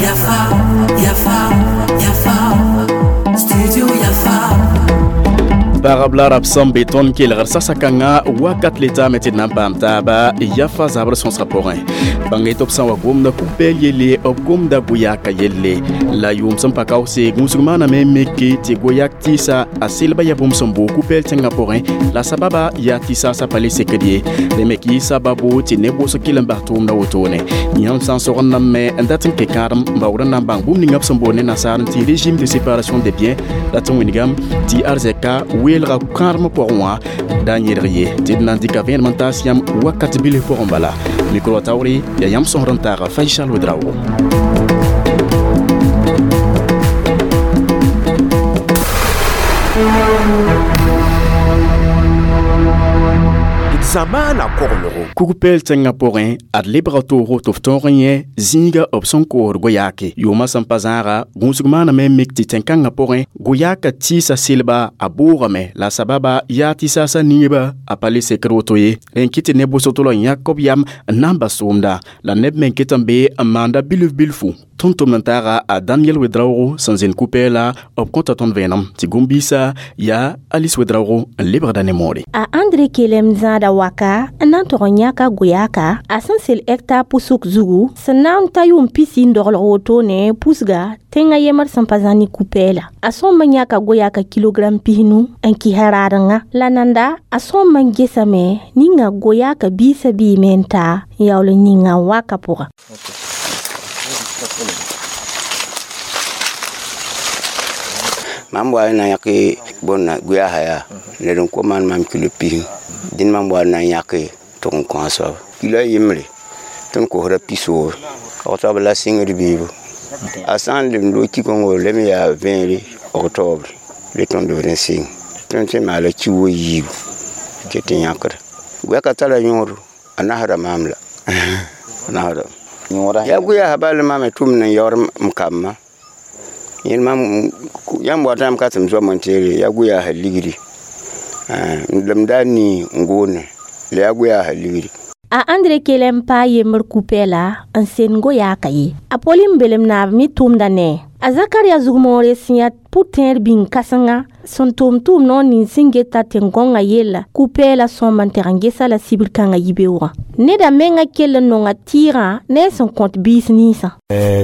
Yafa, Yafa, Yafa, Studio Yafa. Pagb la rab sẽn be tõnd kelgr sasa-kãngã wakat le taame tɩ d na n paam taaba yafa zabr sõsgã pʋgẽ. Bãng tɩ b sã n wa gomda ku-pɛɛl yelle, b gomda goyaka yelle. La yʋʋm sẽn pa kaoose, gũusg maaname n mike tɩ goyak tɩɩsa a selba yaa bũmb sẽn boog ku-pɛɛl tẽngã pʋgẽ, la sababa yaa tɩ saasã pa le sekd ye. Rẽ me kɩ sababu tɩ neb wʋsg kell n bas tʋʋmdã wotone. Yãmb sã n sogd name n dat n kẽ kãadem n baood n na n bãng bũmb ninga b sẽn boond ne nasaar tɩ régime de séparation des biens, la tɩ wĩnigame tɩ arzɛka weelga kãadem pʋgẽ wã da n yẽlg ye tɩ d na n dɩka vẽenem n taas yãmb wakat bilf pʋgẽ bala. Mikro taoore yaa yãmb sõsd n taaga Faisal Ouedraogo. Zamaana koglgo. Kugpɛɛl tẽngã pʋgẽ ad lebga toogo tɩ f tõog n yẽ zĩiga b sẽn koosd goyaake. Yʋʋmã sẽn pa zãaga, gũusg maaname n mik tɩ tẽn-kãngã pʋgẽ goyaaka tɩɩsa selba a boogame, la sababa yaa tɩ saasã nineba a pa le sekd woto ye. Rẽ n kɩt tɩ neb wʋsg tʋl n yãk b yam n na n bas tʋʋmda, la neb me n ket n be n maanda bilf bilfu. Tõnd tʋmd n taaga a Daniel Ouedraogo sẽn zẽnd ku-pɛɛla, b kõta tõnd vẽenem tɩ gũm-biisã yaa Alice Ouedraogo n lebgda ne moore. A Andre Kelem zãada waka n na n tog n yãka goyaaka a sẽn sel hectare pusuk zugu sẽn na n ta yʋʋm pisi n doglg wotone pusga tẽngã yembr sẽn pa zã ne ku-pɛɛla. A sõm n yãka goyaaka kilogram 50 n kɩsa raadengã. La nanda a sõm n gesame ninga goyaaka biisã biime n ta n yaool n yĩnga n waka pʋga. Mam wa na yãk bõnna goyaasã yaa ned n kos maan mam kilo 50, dẽnd mam wa na n yãke tɩ n kõ a soaba kilo a yembre tɩ n kosda pisoor octobre la sɩngd biibu. A sã n lemd wo ki-kõngo lem yaa vẽere octobre le tõnd b rẽ sɩng tõnd sẽn maala ki wo yiibu tɩ tɩ yãkda. Goyaka tara yõodo, a nasda maam la a nasda yaa goyaasã bal mam tʋmd n yaood m kambã. Yẽl mam yãmb wat yãmb ka tɩ m zoam n teere yaa goyaasã ligdi, m daa nii n goone la yaa goyaasã ligdi. A Andre Kelem pa yembr ku-pɛɛla n send goyaaka ye. A Pauline belem naab me tʋʋmda ne. A Zakaria zugmoore sẽn yaa pʋ-tẽer bĩng kãsenga sẽn tʋʋm tʋʋm noor nins sẽn geta tẽn-gõngã yella ku-pɛɛla sõm n teg n gesa la sibr kãngã yibeoogã. Neda menga kell n nonga tɩɩgã ne a sẽn kõt biis ninsã.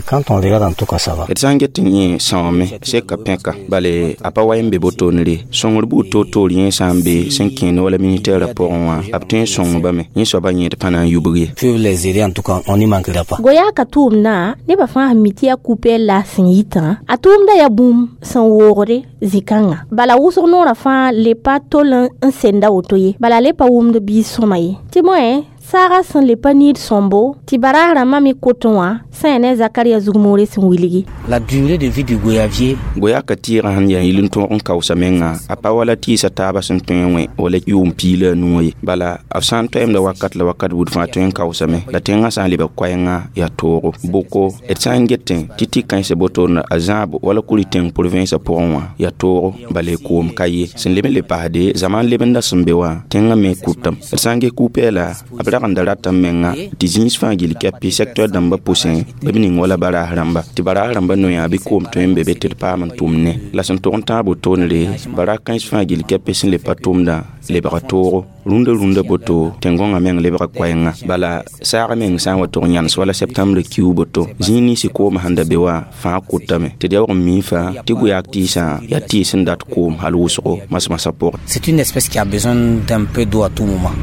Quand on regarde en tout cas ça va. D sã n get n yẽ sãoome seka pẽka, bale a pa wa n be botoonre. Sõngr buud toor-toor yẽ sã n be sẽn kẽend wala ministɛɛrã pʋgẽ wã, b tõe n sõng bame. Yẽ soabã yẽd pa na n yubg ye. Peuvent les aider en tout cas, on n'y manquera pas. Goyaaka tʋʋmdã nebã fãa sẽn mi tɩ yaa ku-pɛɛl la a sẽn yitã, a tʋʋmda yaa bũmb sẽn woogde zĩ-kãngã. Bala wʋsg noorã fãa le pa tol n senda woto ye, bala le pa wʋmd biis sõma ye. Tɩ bõe, saaga sẽn le pa niid sõmbo tɩ baraas rãmbã me kotẽ wã sẽn yaa ne Zakaria zugmoore sẽn wilgi. La durée de vie du goyavier. Goyaka tɩɩgã sẽn yaa yil n tõog n kaoosa menga, a pa wala tɩɩsa taabã sẽn tõe n wẽ wala yʋʋm 15 ye. Bala b sã n toɛɛmda wakat la wakat buud fãa tõe n kaoosame, la tẽngã sã n lebg koɛɛngã yaa toogo. Boko d sã n getẽ tɩ tɩ-kãensã botoorã a zãabo wala kuri tẽng province pʋgẽ wã yaa toogo, bala koom ka ye. Sẽn leb n le paasde zaman lebenda sẽn be wã tẽngã me kutame. D sã n ges ku-pɛɛla b rag n da ratame menga tɩ zĩis fãa gill kɛpɩ secteur dãmbã pʋsẽ b ning wala baraas rãmba, tɩ baraas rãmbã noyaa bɩ koom tõe n be be tɩ d paam n tʋm ne. La sẽn tog n tãag botoonre bara kãens fãa gill kɛpɩ sẽn le pa tʋmdã lebga toogo. Rũndã rũndã boto tẽn-gõngã meng lebga koɛɛngã. Bala saag meng sã n wa tog n yãnes wala septembre kiu boto, zĩig ninsã koomã sẽn da be wã fãa kʋtame. Tɩ d yaoog n mii fãa tɩ goyaak tɩɩsã yaa tɩɩs sẽn dat koom hal wʋsgo masmasã pʋgẽ. C'est une espèce qui a besoin d'un peu d'eau à tout moment.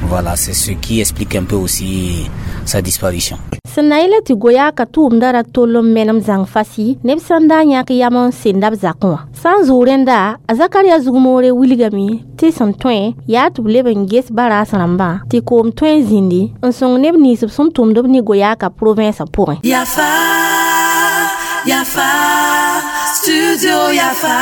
Voilà, c'est ce qui explique un peu aussi sa disparition. Sẽn na yɛla tɩ goyaaka tʋʋmda ra tol n menem zãng fasi neb sẽn da n yãk yam n senda b zakẽ wã. Sã n zʋʋ rẽnda, a Zakaria zugmoore wilgame tɩ sẽn tõe yaa tɩ b leb n ges baraas rãmbã tɩ koom tõe n zĩndi n sõng neb nins b sẽn tʋmd b ne goyaaka province pʋgẽ. Yafa, Yafa, Studio Yafa.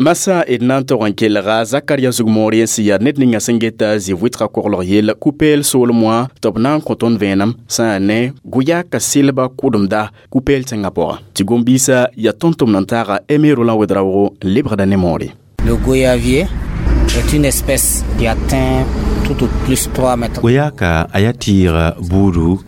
Masa d na n tog n kelga Zakaria zugmoor n sẽn yaa ned ninga sẽn geta zĩ-vʋɩtga koglg yell ku-pɛɛl soolem wã tɩ b na n kõ tõnd vẽenem sã n yaa ne goyaaka selba kʋdemda ku-pɛɛl tẽngã pʋga. Tɩ gom-biisã yaa tõnd tʋmd n taaga Aimé Roland Ouedraogo n lebgda ne moore. Le goyavier. est une espèce qui atteint tout au plus 3 mètres. Goyaka a yaa tɩɩga buudu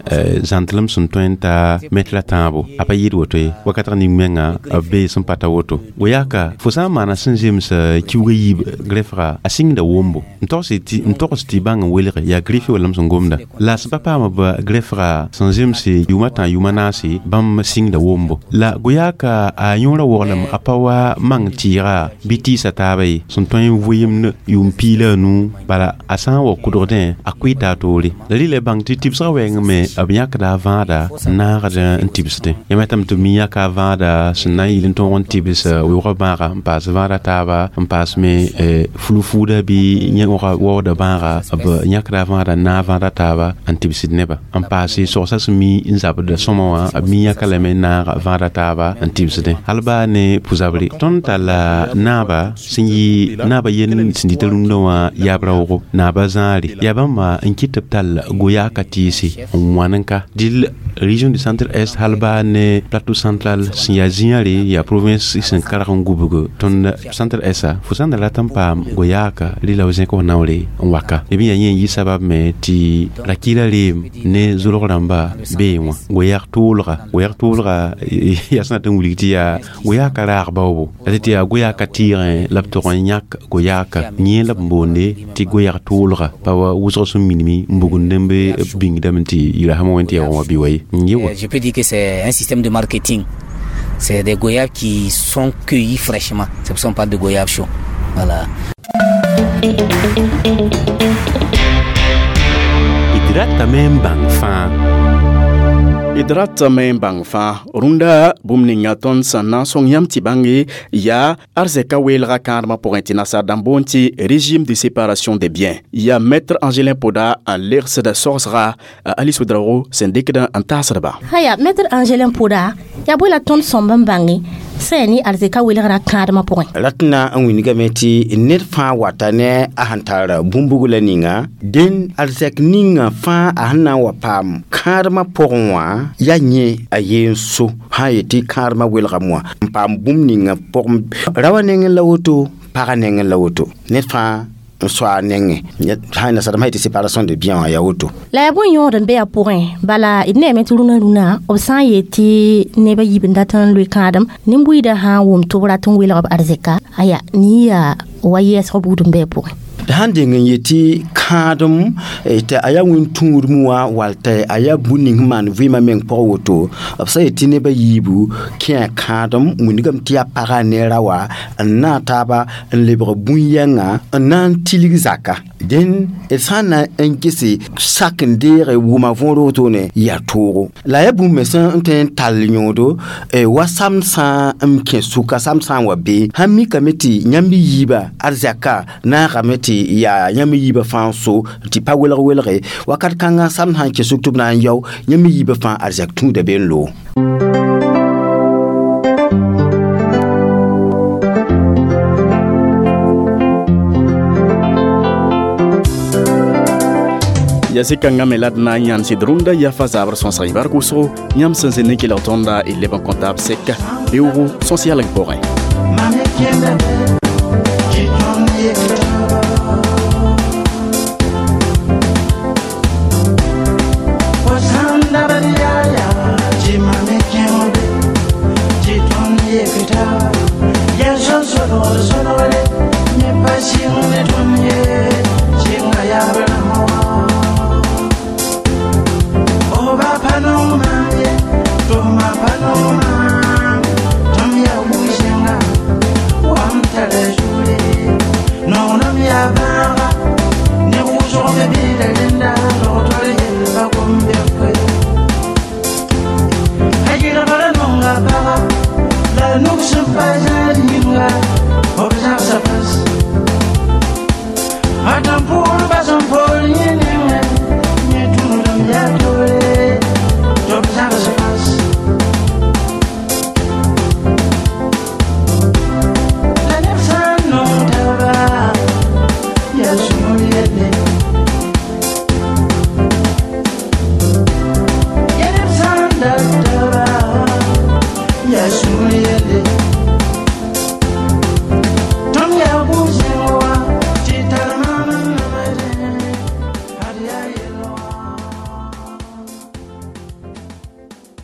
zãntlem sẽn tõe n ta mɛt la tãabo a pa yɩɩd woto ye wakatg ning menga b bee sẽn pa ta woto goyaka fo sã n maana sẽn zems kiuga yiib grefga a sɩngda wombo n togs tɩ bãng n welge yaa grefe wallame sẽn gomda la sẽn pa paam b grefga sẽn zems yʋʋma tã yʋʋma naase bãmb sɩngda wombo la goyaka a yõora woglem a pa wa mang tɩɩga bɩ tɩɩsa taaba ye sẽn tõe n vɩɩmd yʋʋm piig la a nuu bala a sã n wa kʋdgdẽ a koɩɩta a toore la rɩla bãng tɩ tɩbsgã wɛɛng me b yãkda a vãada n naagd n tɩbsdẽ yãmb yetame tɩ b mi yãka a vãada sẽn na n yɩl n tõog n tɩbs weoogã bãaga n paas vãada taaba n paas me fulu-fuuda bɩ waooda bãaga b yãkda a vãada n naag vãada taaba n tɩbsd neba n paase sogsã sẽn mi n zabda sõma wã b mi yãka lame n naag vãada taaba n tɩbsdẽ hal baa ne pʋ-zabre tõnd talla naaba sẽn yɩ naaba yen sẽn dɩta rũndã wã yaab-raoogo naaba zãare yaa bãmba n kɩt tɩ b tall goyaaka tɩɩse n wãn n ka dɩl région du centre est hal baa ne plateau central sẽn yaa zĩyã re yaa province sẽn karg n gubg tõnd centre est fo sã n da rat n paam goyaaka rɩla b zẽk f naoore n waka b yaa yẽ n yɩ sabab me tɩ rakɩɩla reem ne zolg rãmba bee wã goyaag tʋʋlga yaa sẽn dat n wilg tɩ yaa goyaaka raag baoobo la tɩ yaa goyaaka tɩɩgẽ la b tog n yãk goyaaka yẽ la b boonde tɩ goyaag tʋʋlga pa wa wʋsg sẽn minime n bugund n be bĩngdame tɩ yirasã wẽn tɩ yaa wã bɩ wa ye n yɩ wa. Je peux dire que c'est un système de marketing. C'est des goyaves qui sont cueillis fraîchement. C'est pour ça qu'on parle de goyaves chauds. Voilà. D ratame n bãng fãa. D ratame n bãng fãa rũndã bũmb ninga tõnd sẽn na n sõng yãmb tɩ bãnge yaa arzɛka weelga kãadmã pʋgẽ tɩ nasaar dãmb boond tɩ régime de séparation des biens yaa maître Angelin Poda n legsda sogsga Alice Ouedraogo sẽn dɩkd n taasdba. Haya maître Angelin Poda yaa bõe la tõnd sõmb n bãnge sẽn yaa ne arzɛka welgra kãadmã pʋgẽ? Rat na n wilgame tɩ ned fãa wata ne a sẽn tar bũmb-bugla ninga dẽn arzɛk ninga fãa a sẽn na n wa paam kãadmã pʋgẽ wã yaa yẽ a yeen so sã n yetɩ kãadmã welgame wã n paam bũmb ninga pʋgẽ raoã nengẽ la woto pagã nengẽ la woto ned fãa n soa a nengẽ sã n nasadmã yetɩ séparation de bien wã yaa woto. La yaa bõe yõod n be a pʋgẽ bala d neeme tɩ rũnã rũnã b sã n yet tɩ neb a yiib n dat n loe kãadem nin-buiidã sã n wʋm tɩ b rat n welg b arzɛka aya nin yaa wa yɛɛsg buud n be a pʋgẽ. Sãn deng n yetɩ kãadem tɩ a yaa wẽn-tũudem wã wall tɩ a yaa bũmb ning sẽn maan vɩɩmã meng pʋgẽ woto b sã yetɩ neb a yiibu kẽ kãadem wĩndgame tɩ yaa pagã ne ra wã n naag taaba n lebg bũn-yɛngã n na n tilg zaka dẽn d sã n na n gese sak n deege wʋma võor wotone yaa toogo la yaa bũmb me sẽn tõe n tall yõodo wa samd sã n kẽ sʋka samd sã n wa bee sãn mikame tɩ yãmb yiibã arzɛka naagame tɩ yaa yãmb yiibã fãa so tɩ pa welg welge wakat kãngã samd sã n kẽ sʋk tɩ b na n yao yãmb yiibã fãa arzɛk tũuda be n loog. Ya sɩkãngã me la d na n yãnd sɩd rũndã yafa zabr sõsg bark wʋsgo yãmb sẽn zĩnd n kelg tõnda y leb n kõ taab sɛka beoogo sõs yalg pʋgẽ. Atampour